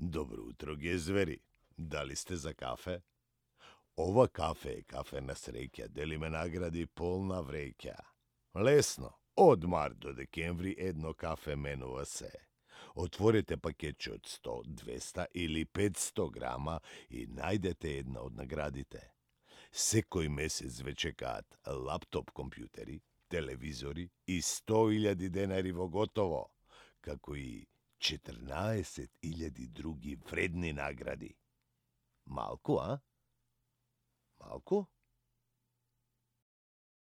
Dobro utro, gezveri. Da li ste za kafe? Ova kafe je kafena sreća, deli me nagradi polna vreća. Lesno, od mart do dekembri jedno kafe menува se. Otvorite paketče od 100, 200 ili 500 grama i najdete jedna od nagradite. Sekoj mesec već čekat laptop kompjuteri, televizori i 100.000 denarivo gotovo, kako i 14.000 drugi vredni nagradi. Malku, a? Malku?